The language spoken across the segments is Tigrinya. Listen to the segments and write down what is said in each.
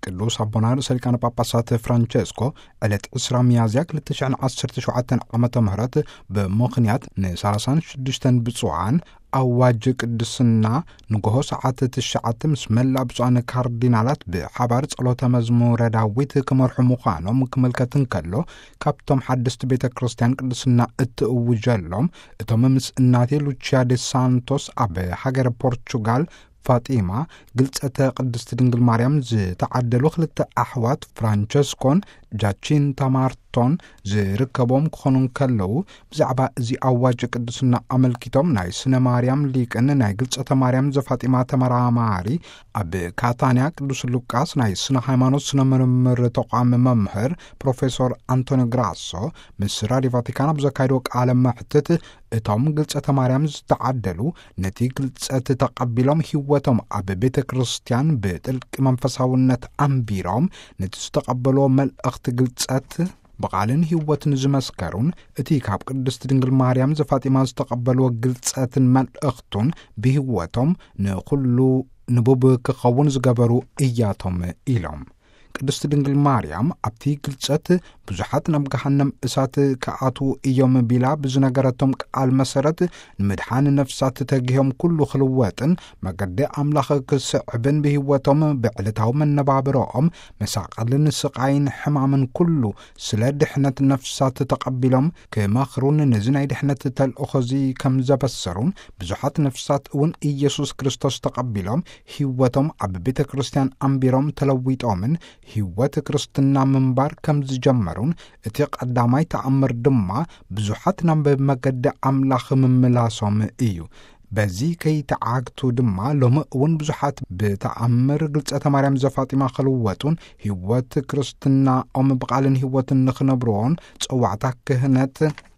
ቅዱስ ኣቦና ርእሰ ሊቃነ ጳጳሳት ፍራንቸስኮ ዕለት ዕስራ ሚያዝያ ክልተ ሽሕን ዓሰርተ ሸውዓተን ዓመተ ምህረት ብምኽንያት ን36 ብፁዓን ኣዋጅ ቅድስና ንግሆ ሰዓት ትሽዓተ ምስ መላእ ብፁዓን ካርዲናላት ብሓባር ጸሎተ መዝሙረ ዳዊት ክመርሑ ምዃኖም ክምልከት እንከሎ፣ ካብቶም ሓደስቲ ቤተ ክርስቲያን ቅድስና እትእውጀሎም እቶም ምስ እናቴ ሉቺያ ዴ ሳንቶስ ኣብ ሃገረ ፖርቹጋል ፋጢማ ግልጸተ ቅድስቲ ድንግል ማርያም ዝተዓደሉ ክልተ ኣሕዋት ፍራንቸስኮን ጃቺንታ ማርቶን ዝርከቦም ክኾኑ እንከለዉ፣ ብዛዕባ እዚ ኣዋጅ ቅድስና ኣመልኪቶም ናይ ስነ ማርያም ሊቅን ናይ ግልጸተ ማርያም ዘፋጢማ ተመራማሪ፣ ኣብ ካታንያ ቅዱስ ሉቃስ ናይ ስነ ሃይማኖት ስነ ምርምር ተቋም መምህር ፕሮፌሶር ኣንቶኒ ግራሶ ምስ ራድዮ ቫቲካን ኣብ ዘካየድዎ ቃለ መሕትት፣ እቶም ግልጸተ ማርያም ዝተዓደሉ ነቲ ግልጸት ተቐቢሎም ህይወቶም ኣብ ቤተ ክርስቲያን ብጥልቂ መንፈሳውነት ኣንቢሮም ነቲ ዝተቐበልዎ መልእኽቲ ግልጸት ብቓልን ህይወትን ዝመስከሩን እቲ ካብ ቅድስቲ ድንግል ማርያም ዘፋጢማ ዝተቐበልዎ ግልጸትን መልእኽቱን ብህይወቶም ንኹሉ ንቡብ ክኸውን ዝገበሩ እያቶም ኢሎም። ቅድስቲ ድንግል ማርያም ኣብቲ ግልጸት ብዙሓት ናብ ገሃነም እሳት ክኣትዉ እዮም ቢላ ብዝነገረቶም ቃል መሰረት፣ ንምድሓን ነፍሳት ተጊሆም ኩሉ ክልወጥን መገዲ ኣምላኽ ክስዕብን ብህይወቶም ብዕለታዊ መነባብሮኦም መሳቐልን ስቓይን ሕማምን ኩሉ ስለ ድሕነት ነፍሳት ተቐቢሎም ክመኽሩን ነዚ ናይ ድሕነት ተልእኾ እዚ ከም ዘበሰሩን ብዙሓት ነፍሳት እውን ኢየሱስ ክርስቶስ ተቐቢሎም ህይወቶም ኣብ ቤተ ክርስቲያን ኣንቢሮም ተለዊጦምን ህይወት ክርስትና ምንባር ከም ዝጀመሩን እቲ ቀዳማይ ተኣምር ድማ ብዙሓት ናብ መገዲ ኣምላኽ ምምላሶም እዩ። በዚ ከይተዓግቱ ድማ ሎሚ እውን ብዙሓት ብተኣምር ግልጸተ ማርያም ዘፋጢማ ክልወጡን ህይወት ክርስትናኦም ብቓልን ህይወትን ንኽነብርዎን ጸዋዕታ ክህነት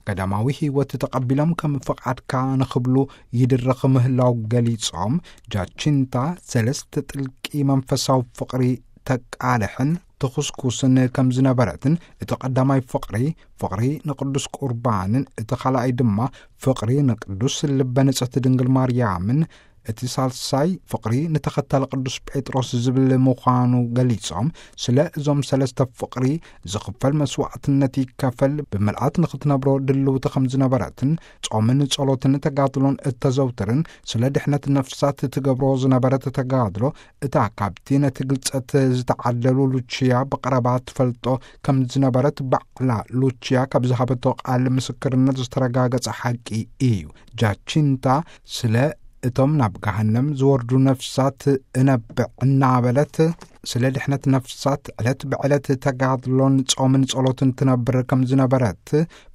ቀዳማዊ ህይወት ተቐቢሎም ከም ፍቓድካ ንኽብሉ ይድረኽ ምህላው ገሊጾም፣ ጃቺንታ ሰለስተ ጥልቂ መንፈሳዊ ፍቕሪ ተቃልሕን ትኹስኩስን ከም ዝነበረትን እቲ ቀዳማይ ፍቕሪ፣ ፍቕሪ ንቅዱስ ቁርባንን እቲ ካልኣይ ድማ ፍቕሪ ንቅዱስ ልበ ንጽሕቲ ድንግል ማርያምን እቲ ሳልሳይ ፍቕሪ ንተኸታሊ ቅዱስ ጴጥሮስ ዝብል ምዃኑ ገሊጾም፣ ስለ እዞም ሰለስተ ፍቕሪ ዝኽፈል መስዋዕትነት ይከፈል፣ ብምልኣት ንኽትነብሮ ድልውቲ ከም ዝነበረትን ጾምን ጸሎትን ተጋድሎን እተዘውትርን ስለ ድሕነት ነፍሳት ትገብሮ ዝነበረት ተጋድሎ እታ ካብቲ ነቲ ግልጸት ዝተዓደሉ ሉቺያ ብቐረባ ትፈልጦ ከም ዝነበረት ባዕላ ሉቺያ ካብ ዝሃበቶ ቃል ምስክርነት ዝተረጋገጸ ሓቂ እዩ። ጃቺንታ ስለ እቶም ናብ ገሃነም ዝወርዱ ነፍሳት እነብዕ እናበለት፣ ስለ ድሕነት ነፍሳት ዕለት ብዕለት ተጋድሎን ጾምን ጸሎትን ትነብር ከም ዝነበረት፣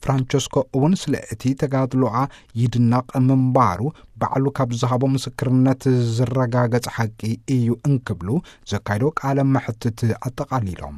ፍራንቸስኮ እውን ስለ እቲ ተጋድሎኣ ይድነቕ ምንባሩ ባዕሉ ካብ ዝሃቦ ምስክርነት ዝረጋገጽ ሓቂ እዩ እንክብሉ ዘካይዶ ቃለ መሕትት ኣጠቓሊሎም።